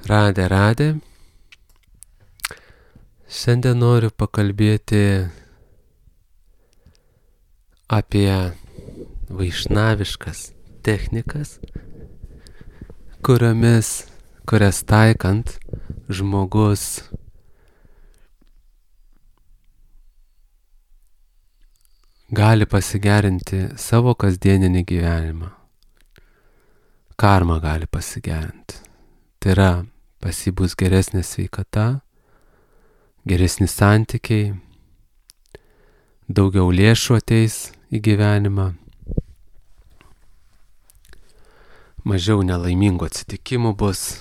Radė. Šiandien noriu pakalbėti apie vaišnaviškas technikas, kurias taikant žmogus gali pasigerinti savo kasdieninį gyvenimą. Karma gali pasigerinti. Tai yra, pas jį bus geresnė sveikata, geresni santykiai, daugiau lėšų ateis į gyvenimą, mažiau nelaimingų atsitikimų bus,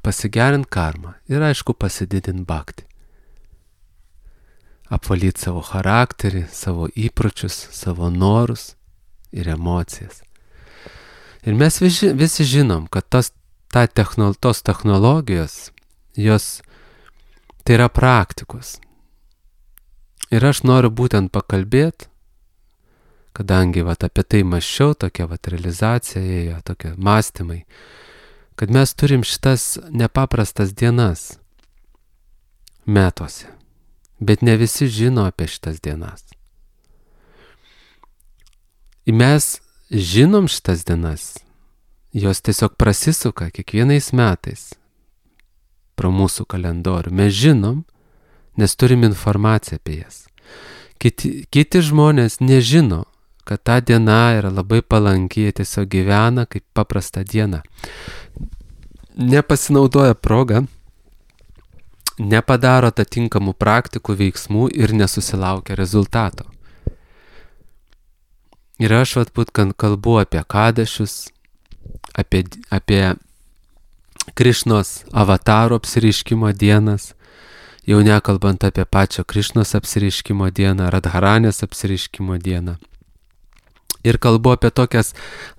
pasigerint karmą ir aišku pasididint bhaktį. Apvalyti savo charakterį, savo įpročius, savo norus ir emocijas. Ir mes visi žinom, kad tos technologijos, jos tai yra praktikos. Ir aš noriu būtent pakalbėti, kadangi apie tai mąsčiau, tokia realizacija ėjo, tokie mąstymai, kad mes turim šitas nepaprastas dienas metuose, bet ne visi žino apie šitas dienas. Ir mes žinom šitas dienas, jos tiesiog prasisuka kiekvienais metais pro mūsų kalendorių. Mes žinom, nes turim informaciją apie jas. Kiti žmonės nežino, kad ta diena yra labai palanki, jie tiesiog gyvena kaip paprasta diena. Nepasinaudoja progą, nepadaro atitinkamų praktikų veiksmų ir nesusilaukia rezultato. Ir aš būtent kalbu apie kadašius, apie Krišnos avataro apsireiškimo dienas, jau nekalbant apie pačią Krišnos apsireiškimo dieną, Radharanės apsireiškimo dieną. Ir kalbu apie tokias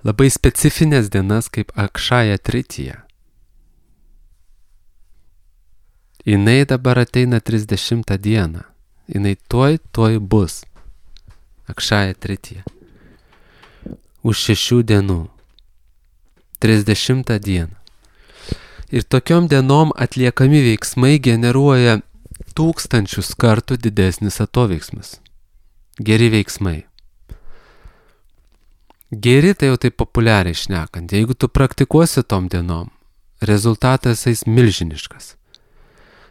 labai specifines dienas kaip Akšaja Tritija. Jinai dabar ateina 30 dieną. Jinai tuoj bus. Akšaja Tritija. Už 6 dienų. 30 dieną. Ir tokiom dienom atliekami veiksmai generuoja 1000 kartų didesnis atoveiksmis. Geri veiksmai. Geri tai jau taip populiariai šnekant. Jeigu tu praktikuosi tom dienom, rezultatas eis milžiniškas.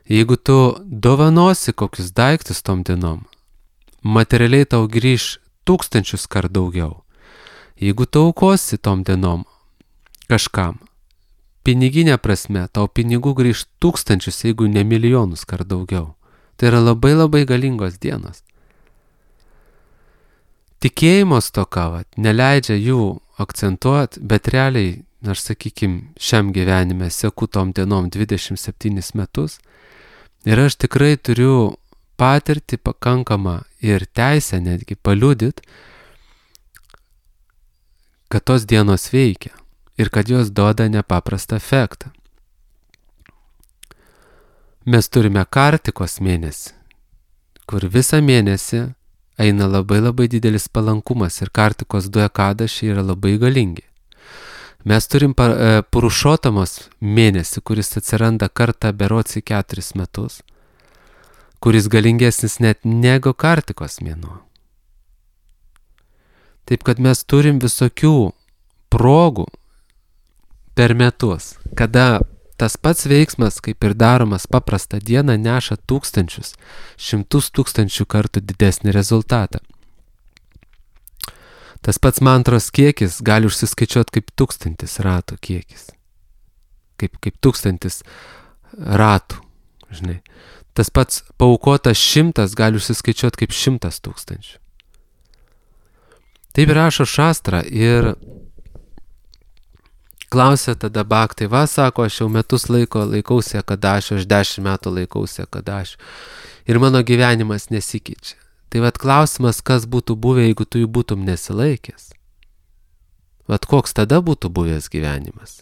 Jeigu tu dovanosi kokius daiktus tom dienom, materialiai tau grįž 1000 kartų daugiau. Jeigu tu aukosi tom dienom kažkam, piniginė prasme, tau pinigų grįž 1000, jeigu ne milijonus kartų daugiau. Tai yra labai labai galingos dienos. Tikėjimo stoka neleidžia jų akcentuoti, bet realiai, aš šiam gyvenime seku tom dienom 27 metus ir aš tikrai turiu patirtį pakankamą ir teisę netgi paliudyti, kad tos dienos veikia ir kad jos duoda nepaprastą efektą. Mes turime Kartikos mėnesį, kur visą mėnesį eina labai labai didelis palankumas ir Kartikos 2 ekadašiai yra labai galingi. Mes turim Purušotamos mėnesį, kuris atsiranda kartą berods į 4 metus, kuris galingesnis net negu Kartikos mėnuo. Taip kad mes turim visokių progų per metus, kada tas pats veiksmas, kaip ir daromas paprastą dieną, neša 1000, 100 000 kartų didesnį rezultatą. Tas pats mantros kiekis gali užsiskaičiuoti kaip 1000 ratų kiekis. Kaip 1000 ratų, žinai. Tas pats paukotas 100 gali užsiskaičiuoti kaip 100 000. Taip rašo šastra ir klausia tada bhaktai, sako, aš jau metus laikausi ekadašio, aš 10 metų laikausi ekadašio ir mano gyvenimas nesikeičia. Tai klausimas, kas būtų buvę, jeigu tu jų būtum nesilaikęs. Koks tada būtų buvęs gyvenimas?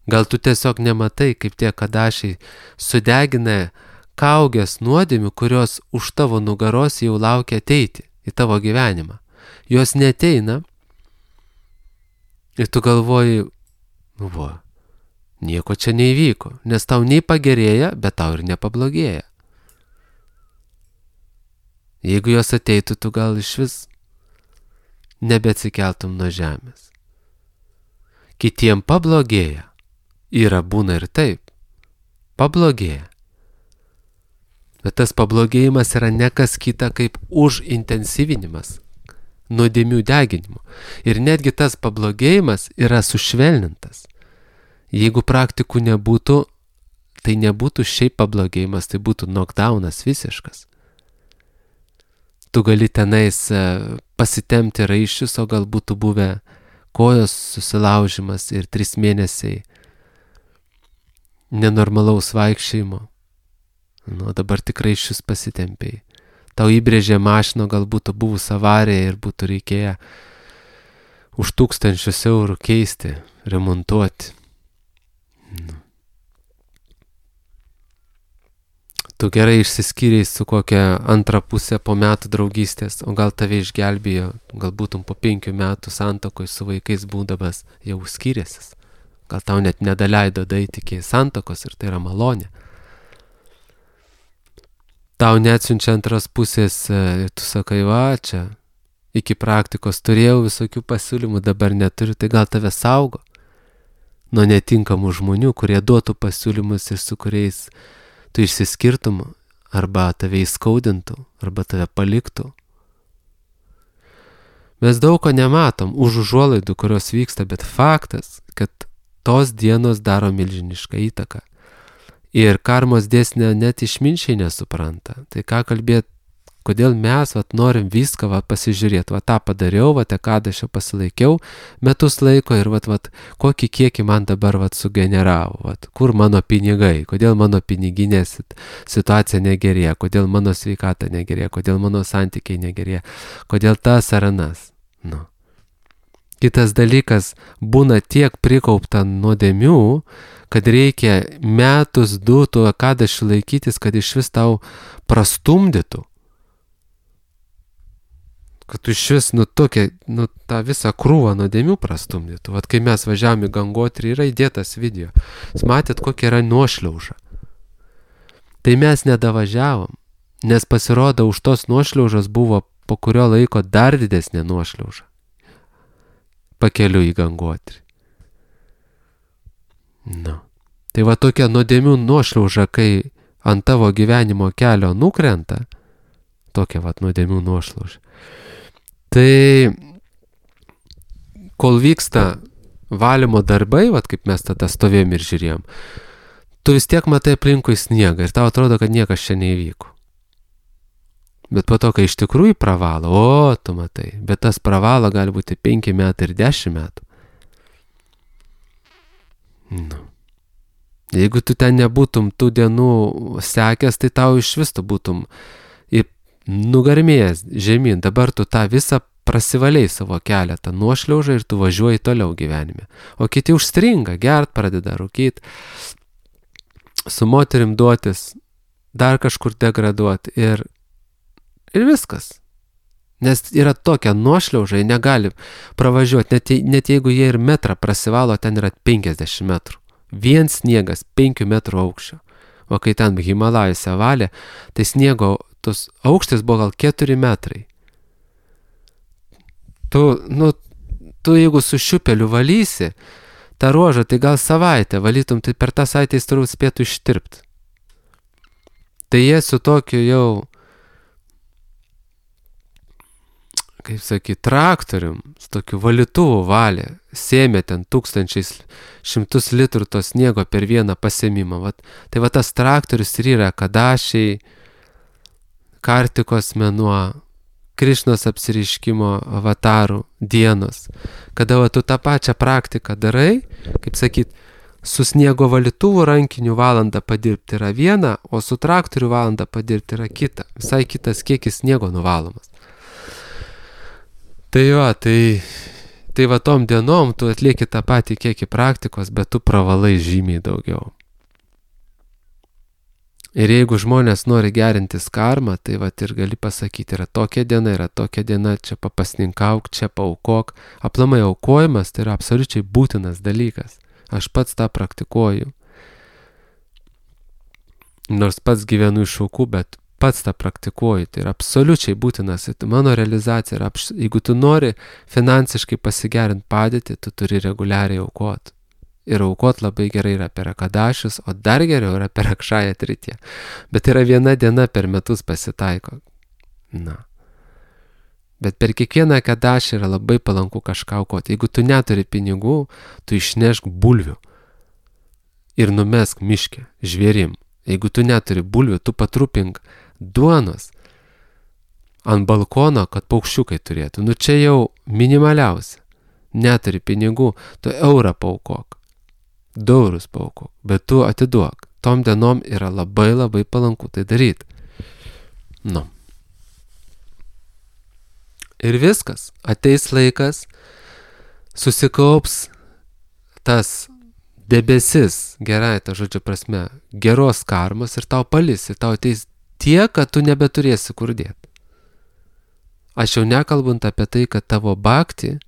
Gal tu tiesiog nematai, kaip tie ekadašiai sudegina kaugės nuodėmių, kurios už tavo nugaros jau laukia ateiti į tavo gyvenimą. Jos neteina ir tu galvoji, nieko čia neįvyko, nes tau nei pagerėja, bet tau ir nepablogėja. Jeigu jos ateitų, tu gal iš vis nebeatsikeltum nuo žemės. Kitiem pablogėja. Yra būna ir taip. Pablogėja. Bet tas pablogėjimas yra ne kas kita kaip užintensyvinimas, nuodėmių deginimo. Ir netgi tas pablogėjimas yra sušvelnintas. Jeigu praktikų nebūtų, tai nebūtų šiaip pablogėjimas, tai būtų knockdownas visiškas. Tu gali tenais pasitemti raiščius, o gal būtų buvę kojos susilaužimas ir 3 mėnesiai nenormalaus vaikščiojimo. Nu, dabar tikrai šis pasitempiai. Tau įbrėžė mašino, gal būtų buvus avarija ir būtų reikėję už 1000 eurų keisti, remontuoti. Nu. Tu gerai išsiskyrei su kokia antra pusė po metų draugystės, o gal tave išgelbėjo, gal būtum po 5 metų santokoj su vaikais būdamas jau skyrėsis. Gal tau net nedaleido daeiti iki santokos ir tai yra malonė. Tau neatsiunčia antros pusės ir tu sakai, va, čia iki praktikos turėjau visokių pasiūlymų, dabar neturiu, tai gal tave saugo nuo netinkamų žmonių, kurie duotų pasiūlymus ir su kuriais tu išsiskirtum, arba tave įskaudintų, arba tave paliktų. Mes daug ko nematom už užuolaidų, kurios vyksta, bet faktas, kad tos dienos daro milžinišką įtaką. Ir karmos dėsnio net išminčiai nesupranta. Tai ką kalbėt, kodėl mes norim viską pasižiūrėti. Tą padariau, kad aš jau pasilaikiau metus laiko ir kokį kiekį man dabar sugeneravo. Kur mano pinigai, kodėl mano piniginė situacija negerėja, kodėl mano sveikata negerėja, kodėl mano santykiai negerėja, kodėl tas ar anas. Nu. Kitas dalykas, būna tiek prikaupta nuodėmių, kad reikia metus, 2 tų akadašių laikytis, kad iš vis tau prastumdytų. Kad tu iš vis tą visą krūvą nuodėmių prastumdytų. Kai mes važiavome į Gangotrį, yra įdėtas video. Jūs matėt, kokia yra nuošliauža. Tai mes nedavažiavom, nes pasirodo, už tos nuošliaužos buvo po kurio laiko dar didesnė nuošliauža. Pakeliu į Gangotrį. Nu. Tai tokia nuodėmių nuošliauža, kai ant tavo gyvenimo kelio nukrenta, tokia nuodėmių nuošliauža. Tai kol vyksta valymo darbai, kaip mes tada stovėjom ir žiūrėjom, tu vis tiek matai aplinkui sniegą ir tau atrodo, kad niekas čia neįvyko. Bet po to, kai iš tikrųjų pravalo, tu matai, bet tas pravalo gali būti 5 metai ir 10 metų. Nu. Jeigu tu ten nebūtum tų dienų sekęs, tai tau iš vis tu būtum nugarmėjęs žemyn. Dabar tu tą visą prasivaliai savo kelią, tą nuošliaužą ir tu važiuoji toliau gyvenime. O kiti užstringa, gert pradeda rūkyti, su moterim duotis, dar kažkur degraduoti ir viskas. Nes yra tokia nuošliauža, negali pravažiuoti, net jeigu jie ir metrą prasivalo, ten yra 50 metrų. Vien sniegas 5 metrų aukščio. O kai ten Himalajuose valė, tai sniego tos aukštis buvo gal 4 metrai. Tu jeigu su šiupeliu valysi tą ruožą, tai gal savaitę valytum, tai per tą savaitę jis turbūt spėtų ištirpti. Tai jie su tokiu jau, kaip sakyt, traktorium, su tokiu valytuvu valė, sėmė ten 1100 litrų to sniego per vieną pasėmimą. Tai tas traktorius ir yra Kadašiai, Kartikos mėnuo, Krišnos apsireiškimo avatarų dienos, kada tu tą pačią praktiką darai, kaip sakyt, su sniego valytuvu rankiniu valandą padirbti yra viena, o su traktoriu valandą padirbti yra kita. Visai kitas kiekis sniego nuvalomas. Tai tom dienom tu atlieki tą patį kiekį praktikos, bet tu pravalai žymiai daugiau. Ir jeigu žmonės nori gerintis karmą, tai ir gali pasakyti, yra tokia diena, čia papasninkauk, čia paaukok. Aplamai aukojimas tai yra absoliučiai būtinas dalykas. Aš pats tą praktikuoju. Nors pats gyvenu iš aukų, bet pats tą praktikuoju. Tai yra absoliučiai būtinas. Mano realizacija yra, jeigu tu nori finansiškai pasigerinti padėtį, tu turi reguliariai aukoti. Ir aukot labai gerai yra per Akadašius, o dar geriau yra per Akšają Tritiją. Bet yra viena diena per metus pasitaiko. Na. Bet per kiekvieną Akadašį yra labai palanku kažką aukoti. Jeigu tu neturi pinigų, tu išnešk bulvių ir numesk miške žvėrim. Jeigu tu neturi bulvių, tu patrupink duonos ant balkono, kad paukščiukai turėtų. Nu čia jau minimaliausia. Neturi pinigų, tu eurą paaukok. 2 eurus paaukok, bet tu atiduok. Tom dienom yra labai labai palanku tai daryti. Nu. Ir viskas. Ateis laikas, susikaups tas debesis, gerai ta žodžio prasme, geros karmos ir tau palis, ir tau ateis tiek, kad tu nebeturėsi kur dėti. Aš jau nekalbant apie tai, kad tavo bhakti,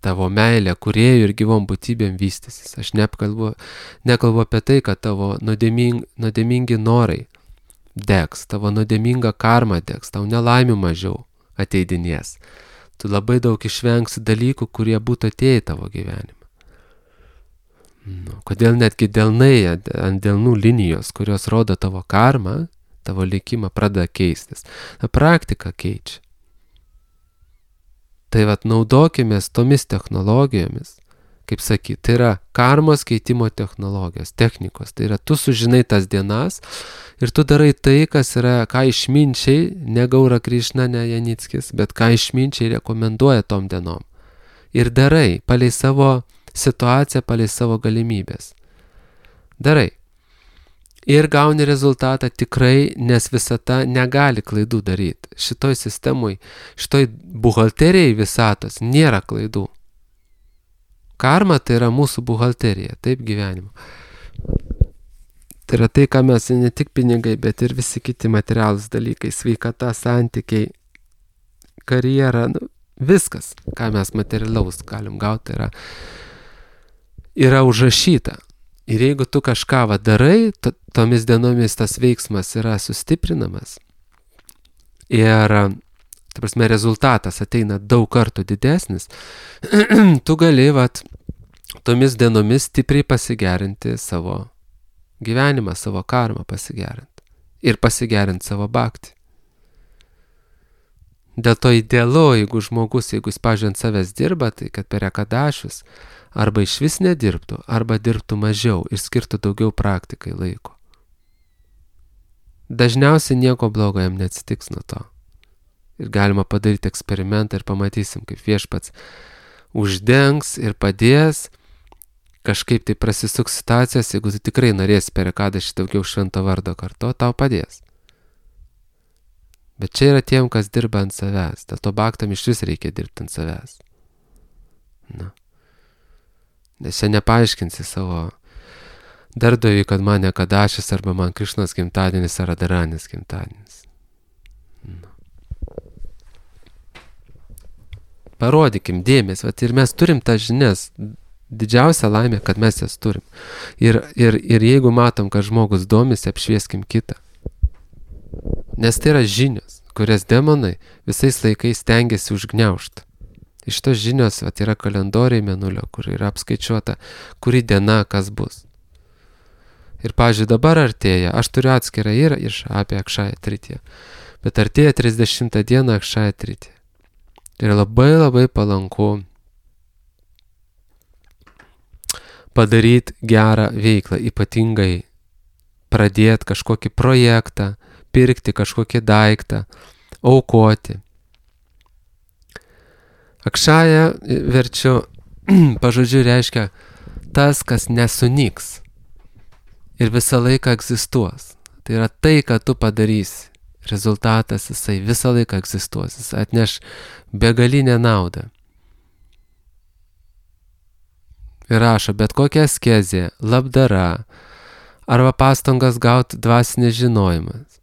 tavo meilė kūrėjų ir gyvom būtybėm vystysis. Aš nekalbu apie tai, kad tavo nuodėmingi norai degs, tavo nuodėminga karma degs, tau nelaimių mažiau ateidinės. Tu labai daug išvengsi dalykų, kurie būtų atėję į tavo gyvenimą. Nu, kodėl netgi delnai ant delnų linijos, kurios rodo tavo karmą, tavo likimą pradeda keistis. Na, praktika keičia. Tai vat naudokimės tomis technologijomis, kaip sakyti, tai yra karmos keitimo technologijos, technikos. Tai yra, tu sužinai tas dienas ir tu darai tai, kas yra, ką išminčiai, ne Gaura Krišna, ne Janickis, bet ką išminčiai rekomenduoja tom dienom. Ir darai, palei savo situaciją, palei savo galimybės. Darai. Ir gauni rezultatą tikrai, nes visata negali klaidų daryti. Šitoj sistemui, šitoj buhalterijai visatos nėra klaidų. Karma tai yra mūsų buhalterija, taip gyvenimo. Tai yra tai, ką mes ne tik pinigai, bet ir visi kiti materialūs dalykai, sveikata, santykiai, karjera, nu, viskas, ką mes materialaus galim gauti, yra užrašyta. Ir jeigu tu kažką darai, tomis dienomis tas veiksmas yra sustiprinamas ir, ta prasme, rezultatas ateina daug kartų didesnis, tu gali tomis dienomis stipriai pasigerinti savo gyvenimą, savo karmą pasigerinti ir pasigerinti savo bhaktį. Dėl to idealu, jeigu jis, pavyzdžiui, ant savęs dirba, tai kad per Akadašius arba iš vis nedirbtų, arba dirbtų mažiau ir skirtų daugiau praktikai laiko. Dažniausiai nieko blogo jam neatsitiks nuo to. Ir galima padaryti eksperimentą ir pamatysim, kaip viešpats uždengs ir padės, kažkaip tai prasisuks situacijas, jeigu tu tikrai norėsi per Akadašį daugiau švento vardo karto, tau padės. Bet čia yra tiem, kas dirba ant savęs. Dėl to bhaktam iš vis reikia dirbti ant savęs. Na. Nes čia nepaaiškinsi savo darbdaviui, kad man Akadašis arba man Krišnos gimtadienis ar Radharanis gimtadienis. Na. Parodykim dėmesį, ir mes turim tas žinias. Didžiausia laimė, kad mes jas turim. Ir jeigu matom, kad žmogus domisi, apšvieskim kitą. Nes tai yra žinios, kurias demonai visais laikais stengiasi užgniaužti. Iš tos žinios yra kalendoriai mėnulio, kur yra apskaičiuota, kuri diena kas bus. Ir, pavyzdžiui, dabar artėja, aš turiu atskirą ir apie Akšają Tritiją, bet artėja 30 dieną Akšają Tritiją. Tai yra labai labai palanku padaryti gerą veiklą, ypatingai pradėti kažkokį projektą, pirkti kažkokį daiktą, aukoti. Akšaja, verčiu, pažodžiu reiškia tas, kas nesunyks ir visą laiką egzistuos. Tai yra tai, ką tu padarysi. Rezultatas jisai visą laiką egzistuos. Jis atneš begalinę naudą. Ir rašo, bet kokia askezė, labdara arba pastangas gauti dvasinį žinojimas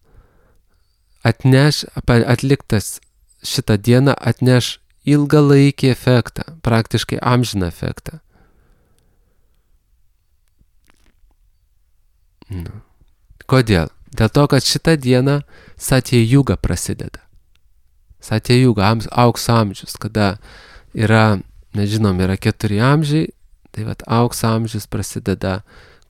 atliktas šitą dieną atneš ilgalaikį efektą, praktiškai amžiną efektą. Kodėl? Dėl to, kad šitą dieną Satya Yuga prasideda. Satya Yuga, aukso amžius, kada yra, nežinom, yra 4 amžiai, tai vat aukso amžius prasideda,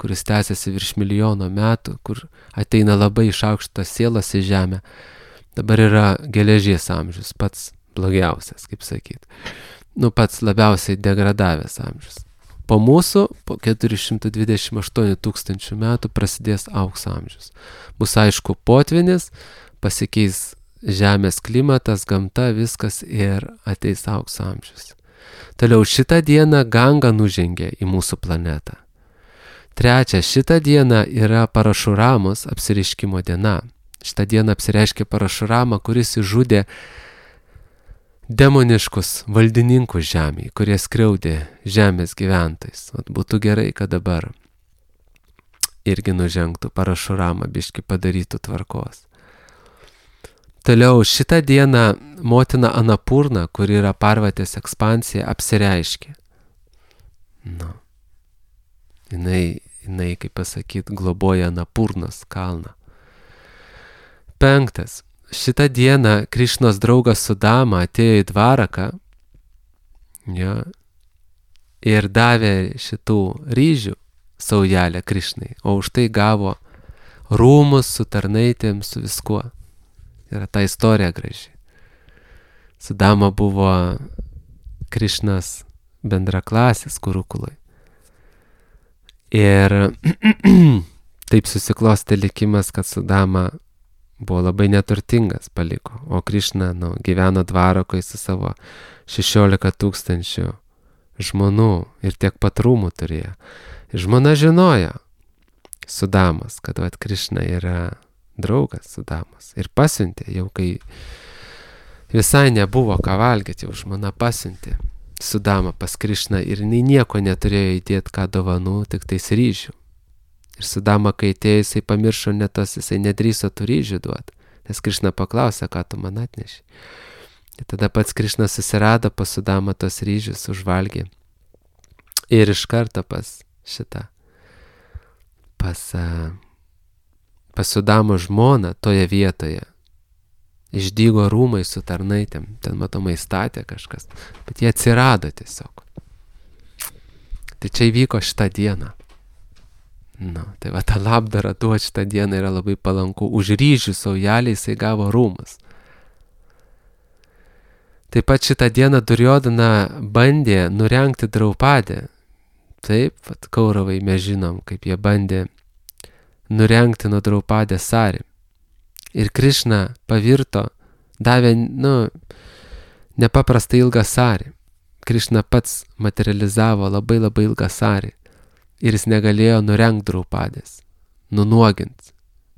kuris tęsiasi virš milijono metų, kur ateina labai išaukštas sielas į žemę. Dabar yra geležies amžius, pats blogiausias, kaip sakyt. Pats labiausiai degradavęs amžius. Po mūsų, po 428 tūkstančių metų prasidės aukso amžius. Bus aišku potvynis, pasikeis žemės klimatas, gamta, viskas ir ateis aukso amžius. Toliau šitą dieną Ganga nužengė į mūsų planetą. Trečia, šitą dieną yra Parašuramos apsireiškimo diena. Šitą dieną apsireiškė Parašurama, kuris išžudė demoniškus valdininkus žemėje, kurie skriaudė žemės gyventojus. Būtų gerai, kad dabar irgi nužengtų Parašurama, biški padarytų tvarkos. Toliau šitą dieną motina Anapurna, kuri yra Parvatės ekspansija, apsireiškė. Jinai, kaip pasakyt, globoja Anapurnos kalną. 5. Šitą dieną Krišnos draugas Sudama atėjo į Dvaraką ir davė šitų ryžių saujelę Krišnai, o už tai gavo rūmus su tarnaitėm, su viskuo. Yra ta istorija graži. Sudama buvo Krišnas bendraklasis Kurukulai. Ir taip susiklostė likimas, kad Sudama buvo labai neturtingas, paliko, o Krišna gyveno Dvarakoje su savo 16 tūkstančių žmonų ir tiek pat rūmų turėjo. Ir žmona žinojo Sudamos, kad Krišna yra draugas Sudamos. Ir pasiuntė, jau kai visai nebuvo ką valgyti, jau žmona pasiuntė Sudamą pas Krišną ir nieko neturėjo įdėti ką dovanų, tik tais ryžių. Ir Sudama, kai atėjo, jisai pamiršo jisai nedrįso tų ryžių duoti, nes Krišna paklausė, ką tu man atneši. Ir tada pats Krišna susirado pas Sudamą tos ryžius, užvalgė. Ir iš karto pas Sudamo žmoną toje vietoje išdygo rūmai su tarnaitėm, ten matomai statė kažkas, bet jie atsirado tiesiog. Tai čia įvyko šitą dieną. Tai ta labdara duoti šitą dieną yra labai palanku. Už ryžių saujelį jisai gavo rūmus. Taip pat šitą dieną Duryodhana bandė nurengti Draupadę. Taip, Kauravai mes žinom, kaip jie bandė nurengti nuo Draupadės sarį. Ir Krišna pavirto, davė, nepaprastai ilgą sarį. Krišna pats materializavo labai labai ilgą sarį. Ir jis negalėjo nurengti Draupadės, nunuoginti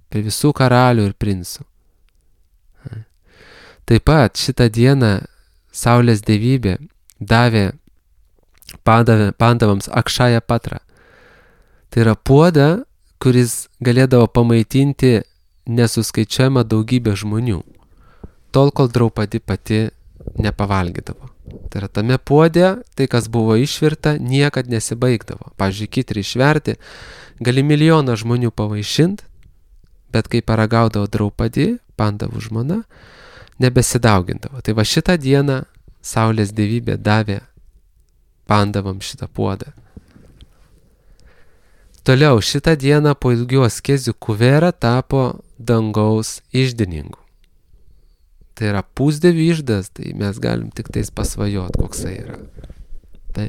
prie visų karalių ir princų. Taip pat šitą dieną Saulės dievybė davė Pandavams Akšaja Patra. Tai yra puodą, kuris galėdavo pamaitinti nesuskaičiuojamą daugybę žmonių, tol kol Draupadi pati nepavalgydavo. Tai yra tame puode, tai kas buvo išvirta, niekad nesibaigdavo. Pavyzdžiui, kitrį išverti, gali 1 milijoną žmonių pavaišinti, bet kai paragaudavo Draupadi, Pandavų žmona, nebesidaugindavo. Tai va šitą dieną Saulės dievybė davė Pandavam šitą puodą. Toliau, šitą dieną po ilgių askezių Kuvera tapo dangaus iždininku. Tai yra pusdievių iždas, tai mes galim tik tais pasvajot, koksai yra. Tai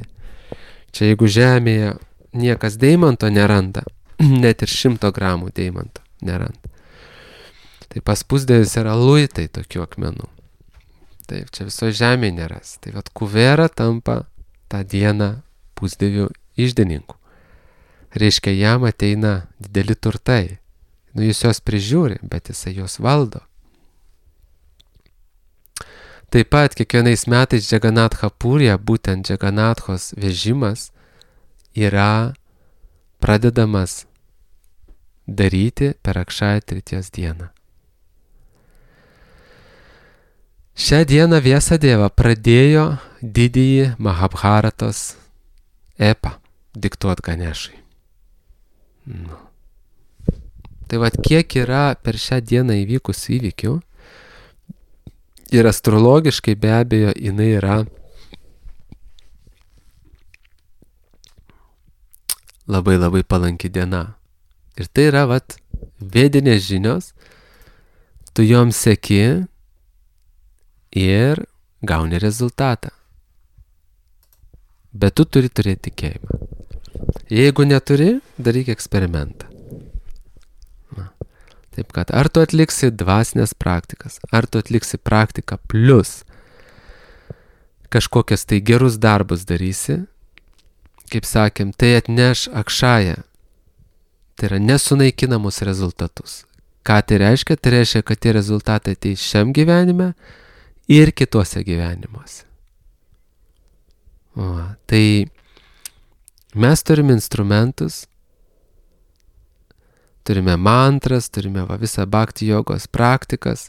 čia jeigu žemėje niekas deimanto neranda, net ir 100 gramų deimanto neranda, tai pas pusdievius yra luitai tokių akmenų. Taip, čia viso žemėje neras. Tai Kuvera tampa tą dieną pusdievių iždininku. Reiškia, jam ateina dideli turtai. Jis juos prižiūri, bet jisai juos valdo. Taip pat kiekvienais metais Džaganatha Purija, būtent Džaganathos vežimas, yra pradedamas daryti per Akšaja Tritijos dieną. Šią dieną Vyasadeva pradėjo didįjį Mahabharatos epą diktuot Ganešai. Nu. Tai vat kiek yra per šią dieną įvykusių įvykių ir astrologiškai be abejo jinai yra labai labai palanki diena. Ir tai yra vat vedinės žinios, tu joms seki ir gauni rezultatą. Bet tu turi turėti tikėjimą. Jeigu neturi, daryk eksperimentą. Na. Taip kad ar tu atliksi dvasinės praktikas, ar tu atliksi praktiką plus kažkokias tai gerus darbus darysi, kaip sakėm, tai atneš akšają. Tai yra nesunaikinamus rezultatus. Ką tai reiškia? Tai reiškia, kad tie rezultatai ateis šiam gyvenime ir kituose gyvenimuose. O, tai mes turime instrumentus, turime mantras, turime visą bhakti jogos praktikas,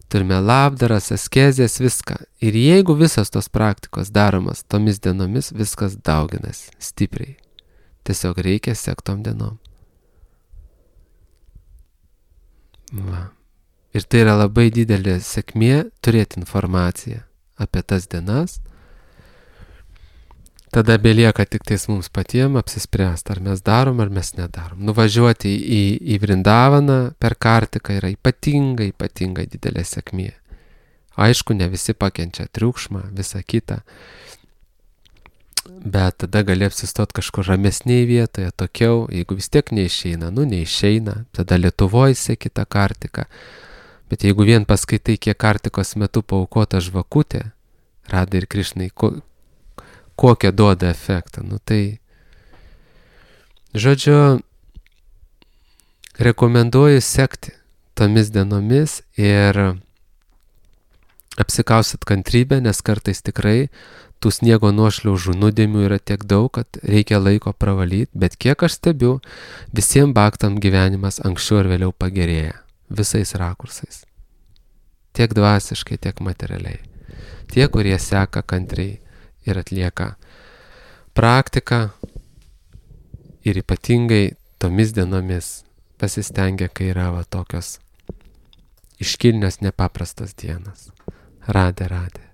turime labdaras, askezės, viską. Ir jeigu visas tos praktikos daromas tomis dienomis, viskas dauginas stipriai. Tiesiog reikia sektom dienom. Va. Ir tai yra labai didelė sėkmė turėti informaciją apie tas dienas. Tada belieka tik tais mums patiems apsispręsti, ar mes darom, ar mes nedarom. Nuvažiuoti į Vrindavaną per Kartiką yra ypatingai didelė sėkmė. Aišku, ne visi pakenčia triukšmą, visą kitą. Bet tada gali apsistot kažkur ramesnėje vietoje, tokiau, jeigu vis tiek neišeina, neišeina, tada Lietuvoje seki tą Kartiką. Bet jeigu vien paskaitai, kiek Kartikos metu paaukota žvakutė, Radai ir Krišnai, kokią duoda efektą, tai, žodžiu, rekomenduoju sekti tomis dienomis ir apsikausit kantrybę, nes kartais tikrai tų sniego nuošliaužų nuodėmių yra tiek daug, kad reikia laiko pravalyti, bet kiek aš stebiu, visiems bhaktam gyvenimas anksčiau ir vėliau pagerėja, visais rakursais. Tiek dvasiškai, tiek materialiai. Tie, kurie seka kantriai ir atlieka praktiką ir ypatingai tomis dienomis pasistengia, kai yra tokios iškilnios nepaprastos dienos. Radė.